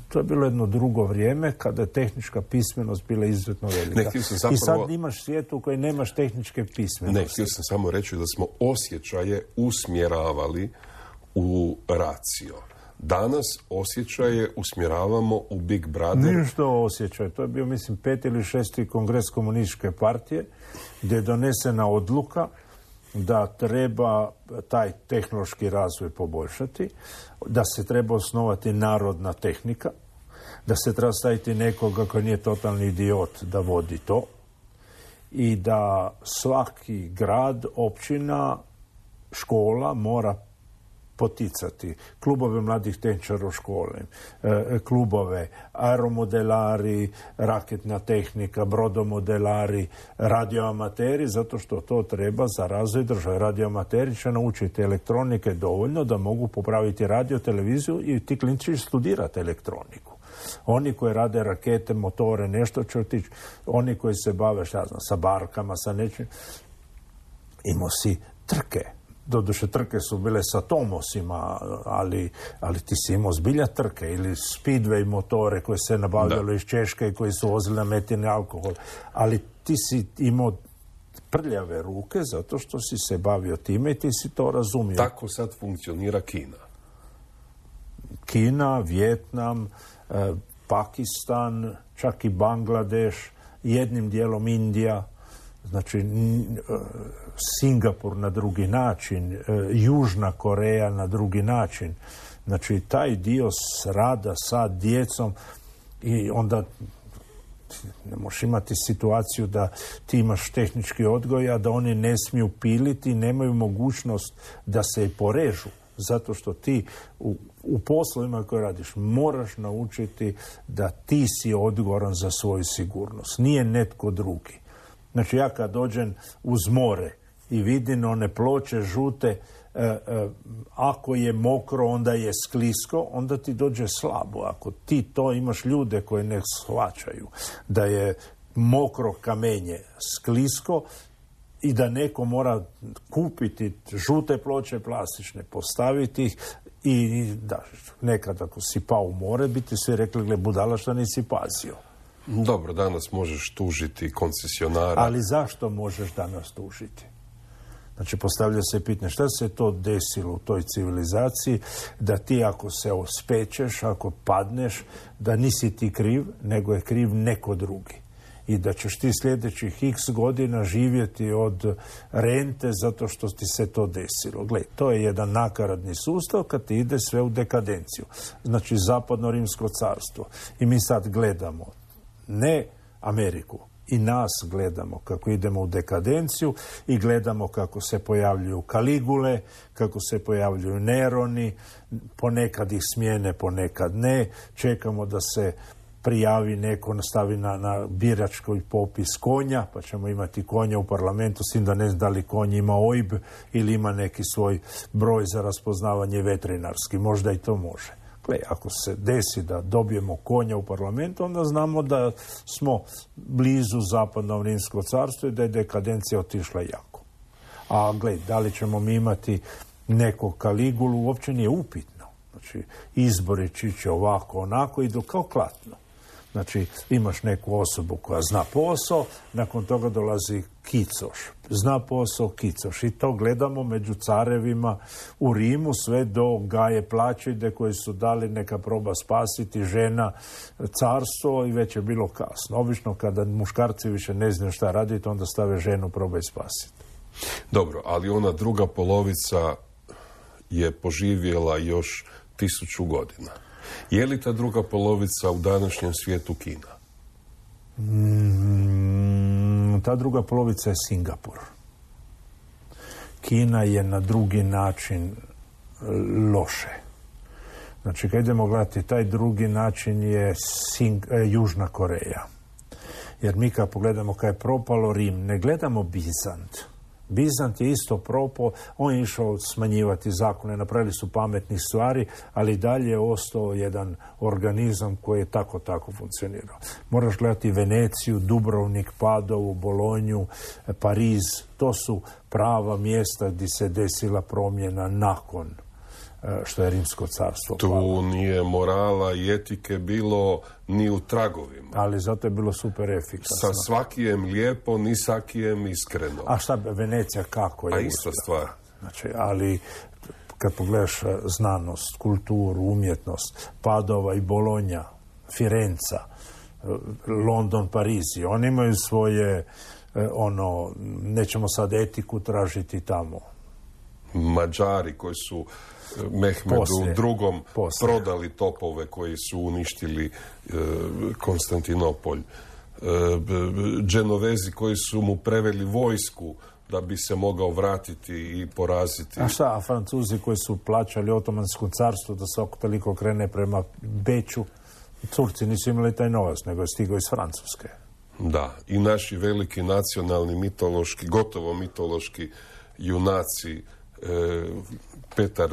Speaker 6: To je bilo jedno drugo vrijeme kada je tehnička pismenost bila izuzetno velika. I sad imaš svijet u kojem nemaš tehničke pismenosti.
Speaker 5: Ne, htio sam samo reći da smo osjećaje usmjeravali u racio. Danas osjećaje usmjeravamo u Big Brother.
Speaker 6: Ništa osjećaj. To je bio, mislim, 5. ili 6. kongres komunističke partije gdje je donesena odluka da treba taj tehnološki razvoj poboljšati, da se treba osnovati narodna tehnika, da se treba staviti nekoga koji nije totalni idiot da vodi to i da svaki grad, općina, škola mora poticati klubove mladih tehničara u škole, klubove, aeromodelari, raketna tehnika, brodomodelari, radioamateri, zato što to treba za razvoj države. Radioamateri će naučiti elektronike dovoljno da mogu popraviti radio, televiziju i ti klinci će studirati elektroniku. Oni koji rade rakete, motore, nešto će otići. Oni koji se bave, sa barkama, sa nečim. Imao si trke. Doduše, trke su bile sa Tomosima, ali ti si imao zbilja trke ili speedway motore koje se nabavljalo iz Češke i koji su vozili na metini alkohol. Ali ti si imao prljave ruke zato što si se bavio time i ti si to razumio.
Speaker 5: Tako sad funkcionira Kina.
Speaker 6: Kina, Vijetnam, Pakistan, čak i Bangladeš, jednim dijelom Indija, znači Singapur na drugi način, Južna Koreja na drugi način. Znači taj dio rada sa djecom i onda ne možeš imati situaciju da ti imaš tehnički odgoj, a da oni ne smiju piliti, nemaju mogućnost da se i porežu. Zato što ti u poslovima koje radiš moraš naučiti da ti si odgovoran za svoju sigurnost. Nije netko drugi. Znači ja kad dođem uz more i vidim one ploče žute, ako je mokro onda je sklisko, onda ti dođe slabo. Ako ti to imaš ljude koji ne shvaćaju da je mokro kamenje sklisko i da neko mora kupiti žute ploče plastične, postaviti ih i da, nekad ako si pao u more bi ti svi rekli, gle budala što nisi pazio.
Speaker 5: Dobro, danas možeš tužiti koncesionara.
Speaker 6: Ali zašto možeš danas tužiti? Znači, postavlja se pitanje šta se to desilo u toj civilizaciji da ti ako se ospečeš, ako padneš, da nisi ti kriv, nego je kriv neko drugi. I da ćeš ti sljedećih x godina živjeti od rente zato što ti se to desilo. Gle, to je jedan nakaradni sustav kad ti ide sve u dekadenciju. Znači, Zapadno Rimsko carstvo. I mi sad gledamo ne Ameriku, i nas gledamo kako idemo u dekadenciju i gledamo kako se pojavljuju Kaligule, kako se pojavljuju Neroni, ponekad ih smijene, ponekad ne. Čekamo da se prijavi neko, nastavi na biračkoj popis konja, pa ćemo imati konja u parlamentu, s tim da ne znam da li konj ima OIB ili ima neki svoj broj za raspoznavanje veterinarski. Možda i to može. Ako se desi da dobijemo konja u parlamentu, onda znamo da smo blizu Zapadno Rimsko carstvo i da je dekadencija otišla jako. A da li ćemo mi imati nekog Kaligulu, uopće nije upitno. Znači, izbori će ovako, onako, idu kao klatno. Znači, imaš neku osobu koja zna posao, nakon toga dolazi kicoš. Zna posao, kicoš. I to gledamo među carevima u Rimu, sve do Gaje Plačide koji su dali neka proba spasiti žena carstvo i već je bilo kasno. Obično kada muškarci više ne znaju šta raditi, onda stave ženu probaj spasiti.
Speaker 5: Dobro, ali ona druga polovica je poživjela još 1000 godina. Je li ta druga polovica u današnjem svijetu Kina?
Speaker 6: Ta druga polovica je Singapur. Kina je na drugi način loše. Znači, kad idemo gledati, taj drugi način je Južna Koreja. Jer mi kad pogledamo kad je propalo Rim, ne gledamo Bizant. Bizant je isto propao, on je išao smanjivati zakone, napravili su pametnih stvari, ali dalje je ostao jedan organizam koji je tako funkcionirao. Moraš gledati Veneciju, Dubrovnik, Padovu, Bolonju, Pariz, to su prava mjesta gdje se desila promjena nakon što je Rimsko carstvo palo.
Speaker 5: Tu nije morala i etike bilo ni u tragovima.
Speaker 6: Ali zato je bilo super efikasno.
Speaker 5: Sa svakijem lijepo, ni sakijem iskreno.
Speaker 6: A šta Venecija kako je?
Speaker 5: A ista stvar.
Speaker 6: Znači, ali kad pogledaš znanost, kulturu, umjetnost, Padova i Bolonja, Firenca, London, Parizi, oni imaju svoje, nećemo sad etiku tražiti tamo.
Speaker 5: Mađari koji su Mehmedu II. Prodali topove koji su uništili Konstantinopolj. Dženovezi koji su mu preveli vojsku da bi se mogao vratiti i poraziti.
Speaker 6: A šta, a Francuzi koji su plaćali Otomansko carstvo da svako toliko krene prema Beču, Turci nisu imali taj novac, nego je stigao iz Francuske.
Speaker 5: Da, i naši veliki nacionalni mitološki, gotovo mitološki junaci, Petar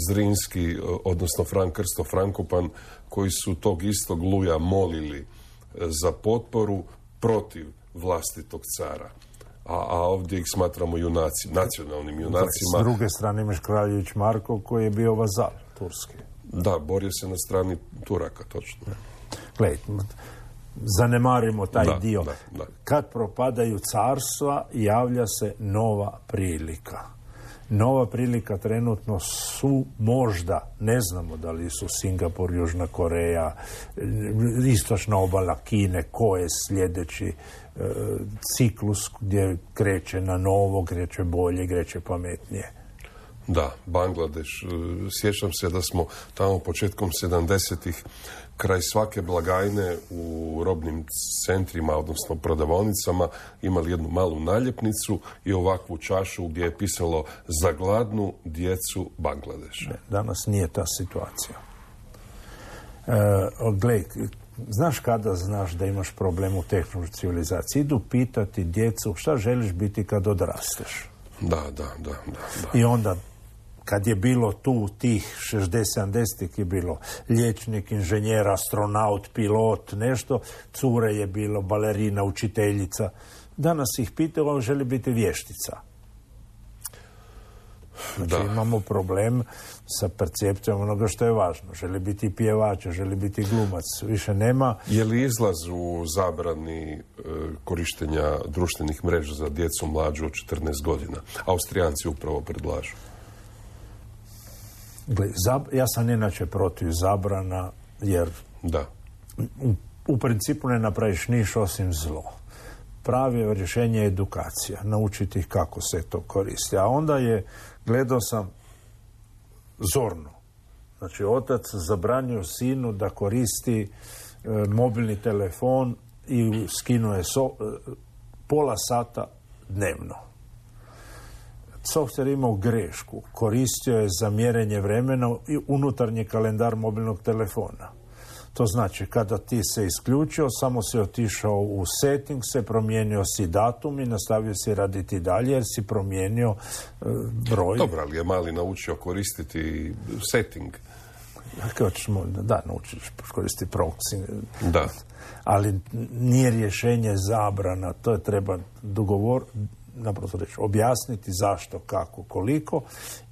Speaker 5: Zrinski, odnosno Fran Krsto Frankopan, koji su tog istog Luja molili za potporu protiv vlastitog cara. A ovdje ih smatramo nacionalnim junacima.
Speaker 6: S druge strane imaš Kraljević Marko koji je bio vazal turski.
Speaker 5: Da, borio se na strani Turaka, točno.
Speaker 6: Gledaj, zanemarimo taj dio.
Speaker 5: Da.
Speaker 6: Kad propadaju carstva, javlja se nova prilika. Nova prilika trenutno su možda, ne znamo da li su Singapur, Južna Koreja, istočna obala Kine, ko je sljedeći ciklus gdje kreće na novo, kreće bolje, kreće pametnije.
Speaker 5: Da, Bangladeš. Sjećam se da smo tamo početkom 70-ih kraj svake blagajne u robnim centrima, odnosno prodavaonicama, imali jednu malu naljepnicu i ovakvu čašu gdje je pisalo za gladnu djecu Bangladeša.
Speaker 6: Danas nije ta situacija. Glej, znaš kada znaš da imaš problem u tehnološkoj civilizaciji? Idu pitati djecu šta želiš biti kad odrasteš.
Speaker 5: Da.
Speaker 6: I onda kad je bilo tu tih 60-70-ih je bilo liječnik, inženjer, astronaut, pilot, nešto, cure je bilo, balerina, učiteljica. Danas ih pitaju, on želi biti vještica. Znači imamo problem sa percepcijom onoga što je važno. Želi biti pjevač, želi biti glumac. Više nema.
Speaker 5: Je li izlaz u zabrani korištenja društvenih mreža za djecu mlađu od 14 godina? Austrijanci upravo predlažu.
Speaker 6: Ja sam inače protiv zabrana, jer u principu ne napraviš niš osim zlo. Pravi rješenje je edukacija, naučiti ih kako se to koristi. A onda gledao sam zorno. Znači, otac zabranio sinu da koristi mobilni telefon i skinuo je pola sata dnevno. Softver imao grešku. Koristio je za mjerenje vremena i unutarnji kalendar mobilnog telefona. To znači, kada ti se isključio, samo si otišao u setting, se promijenio si datum i nastavio si raditi dalje jer si promijenio broj.
Speaker 5: Dobro, ali je mali naučio koristiti setting.
Speaker 6: Da, naučiš koristiti proxy.
Speaker 5: Da.
Speaker 6: Ali nije rješenje zabrana. To je treba naprosto reći, objasniti zašto, kako, koliko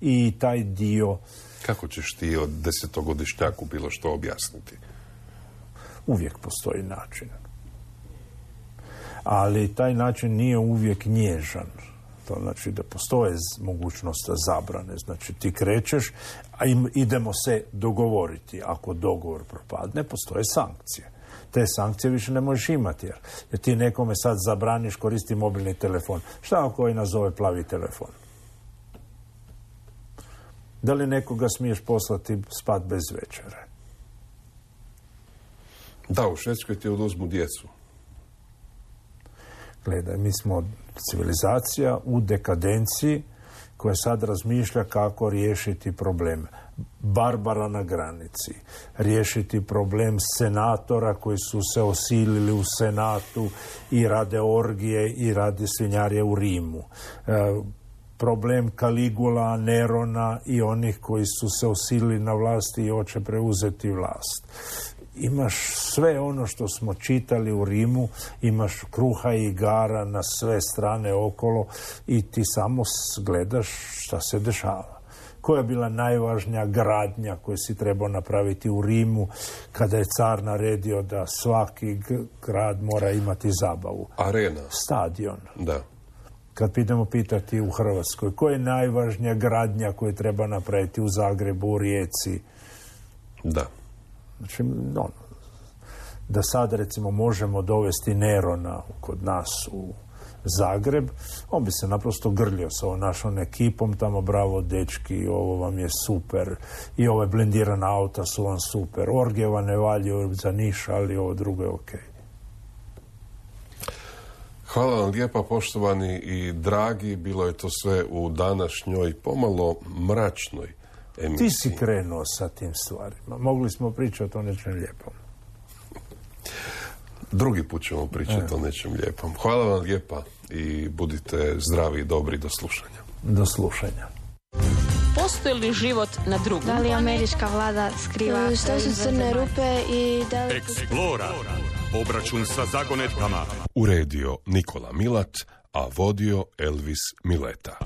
Speaker 6: i taj dio...
Speaker 5: Kako ćeš ti od 10-godišnjaku bilo što objasniti?
Speaker 6: Uvijek postoji način. Ali taj način nije uvijek nježan. To znači da postoje mogućnost zabrane. Znači ti krećeš, a idemo se dogovoriti. Ako dogovor propadne, postoje sankcije. Te sankcije više ne možeš imati. Jer ti nekome sad zabraniš koristi mobilni telefon. Šta ako koji nazove plavi telefon? Da li nekoga smiješ poslati spat bez večere?
Speaker 5: Da, u Švedskoj ti oduzmu djecu.
Speaker 6: Gledaj, mi smo civilizacija u dekadenciji koja sad razmišlja kako riješiti problem Barbara na granici, riješiti problem senatora koji su se osilili u Senatu i rade orgije i rade svinjarije u Rimu. Problem Kaligula, Nerona i onih koji su se osilili na vlasti i hoće preuzeti vlast. Imaš sve ono što smo čitali u Rimu, imaš kruha i igara na sve strane okolo i ti samo gledaš šta se dešava. Koja je bila najvažnija gradnja koju si trebao napraviti u Rimu kada je car naredio da svaki grad mora imati zabavu?
Speaker 5: Arena.
Speaker 6: Stadion.
Speaker 5: Da.
Speaker 6: Kad idemo pitati u Hrvatskoj, koja je najvažnija gradnja koju treba napraviti u Zagrebu, u Rijeci?
Speaker 5: Da.
Speaker 6: Znači, da sad recimo možemo dovesti Nerona kod nas u Zagreb, on bi se naprosto grljio sa ovom našom ekipom, tamo bravo dečki, ovo vam je super, i ove blendirana auta su vam super, orgije vam ne valju za niš, ali ovo drugo je okej.
Speaker 5: Hvala vam lijepa, poštovani i dragi, bilo je to sve u današnjoj pomalo mračnoj emisiji.
Speaker 6: Ti si krenuo sa tim stvarima. Mogli smo pričati o nečem lijepom.
Speaker 5: Drugi put ćemo pričati o nečem lijepom. Hvala vam lijepa i budite zdravi i dobri. Do slušanja.
Speaker 6: Do slušanja.
Speaker 1: Postoji li život na drugom?
Speaker 2: Da li američka vlada skriva?
Speaker 3: Što su crne rupe i da li...
Speaker 4: Eksplora. Obračun sa zagonetkama.
Speaker 5: Uredio Nikola Milat, a vodio Elvis Mileta.